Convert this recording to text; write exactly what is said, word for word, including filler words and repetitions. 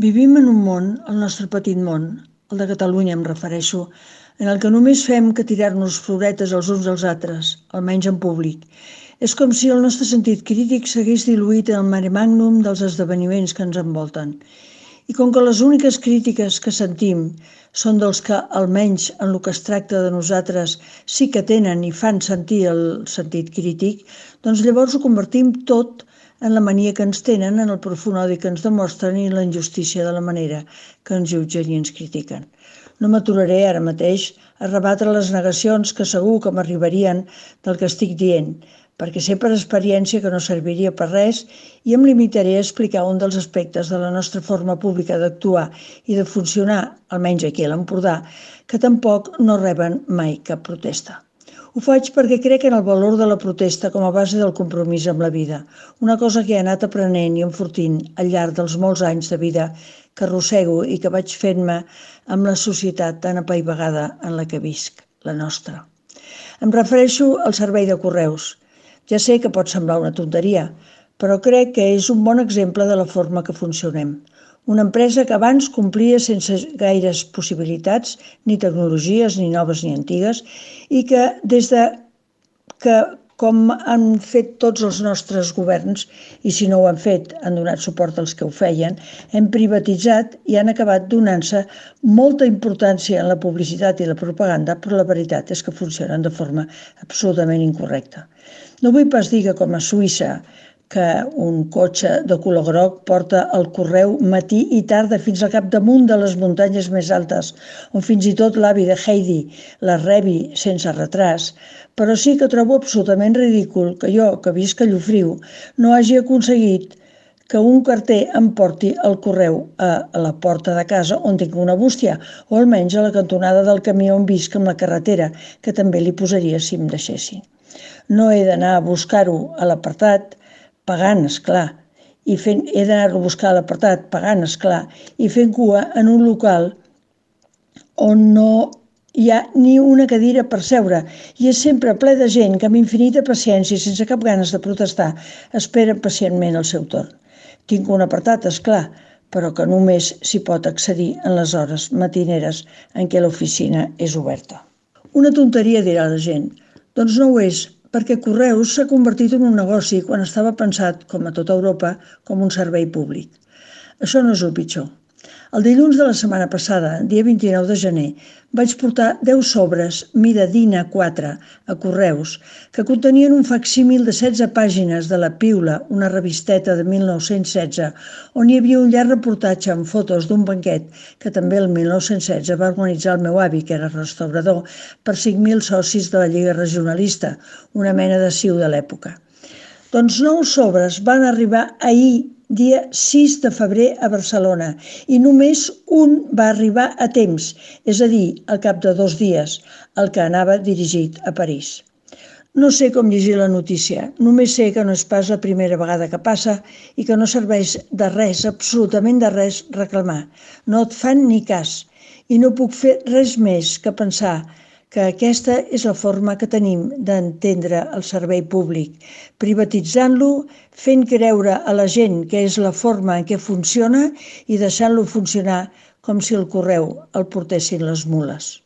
Vivim en un món, el nostre petit món, el de Catalunya em refereixo, en el que només fem que tirar-nos floretes els uns als altres, almenys en públic. És com si el nostre sentit crític s'hagués diluït en el mare magnum dels esdeveniments que ens envolten. I com que les úniques crítiques que sentim són dels que, almenys en el que es tracta de nosaltres, sí que tenen i fan sentir el sentit crític, doncs llavors ho convertim tot en la mania que ens tenen, en el profund odi que ens demostren i la injustícia de la manera que ens jutgen i ens critiquen. No m'aturaré ara mateix a rebatre les negacions que segur que m'arribarien del que estic dient, perquè sé per experiència que no serviria per res i em limitaré a explicar un dels aspectes de la nostra forma pública d'actuar i de funcionar, almenys aquí a l'Empordà, que tampoc no reben mai cap protesta. Ho faig perquè crec en el valor de la protesta com a base del compromís amb la vida, una cosa que he anat aprenent i enfortint al llarg dels molts anys de vida que arrossego i que vaig fent-me amb la societat tan apaivagada en la que visc, la nostra. Em refereixo al servei de correus. Ja sé que pot semblar una tonteria, però crec que és un bon exemple de la forma que funcionem. Una empresa que abans complia sense gaires possibilitats, ni tecnologies, ni noves ni antigues, i que des de que, com han fet tots els nostres governs, i si no ho han fet, han donat suport als que ho feien, hem privatitzat i han acabat donant-se molta importància en la publicitat i la propaganda, però la veritat és que funcionen de forma absolutament incorrecta. No vull pas dir que com a Suïssa, que un cotxe de color groc porta el correu matí i tarda fins al capdamunt de les muntanyes més altes, on fins i tot l'avi de Heidi la rebi sense retras, però sí que trobo absolutament ridícul que jo, que visc a Llofriu, no hagi aconseguit que un carter em porti el correu a la porta de casa on tinc una bústia, o almenys a la cantonada del camí on visc amb la carretera, que també li posaria si em deixessin. No he d'anar a buscar-ho a l'apartat, pagant, esclar, i fent, he d'anar-lo a buscar a l'apartat, pagant, esclar, i fent cua en un local on no hi ha ni una cadira per seure i és sempre ple de gent que amb infinita paciència i sense cap ganes de protestar espera pacientment el seu torn. Tinc un apartat, esclar, però que només s'hi pot accedir en les hores matineres en què l'oficina és oberta. Una tonteria, dirà la gent. Doncs no ho és, perquè Correus s'ha convertit en un negoci quan estava pensat, com a tota Europa, com un servei públic. Això no és el pitjor. El dilluns de la setmana passada, dia vint-i-nou de gener, vaig portar deu sobres mida DIN A quatre a Correus que contenien un facsímil de setze pàgines de La Piula, una revisteta de mil nou-cents setze, on hi havia un llarg reportatge amb fotos d'un banquet que també el mil nou-cents setze va organitzar el meu avi, que era restaurador, per cinc mil socis de la Lliga Regionalista, una mena de C I U de l'època. Doncs nou sobres van arribar ahir, dia sis de febrer, a Barcelona, i només un va arribar a temps, és a dir, al cap de dos dies, el que anava dirigit a París. No sé com llegir la notícia, només sé que no és pas la primera vegada que passa i que no serveix de res, absolutament de res, reclamar. No et fan ni cas, i no puc fer res més que pensar que aquesta és la forma que tenim d'entendre el servei públic, privatitzant-lo, fent creure a la gent que és la forma en què funciona i deixant-lo funcionar com si el correu el portessin les mules.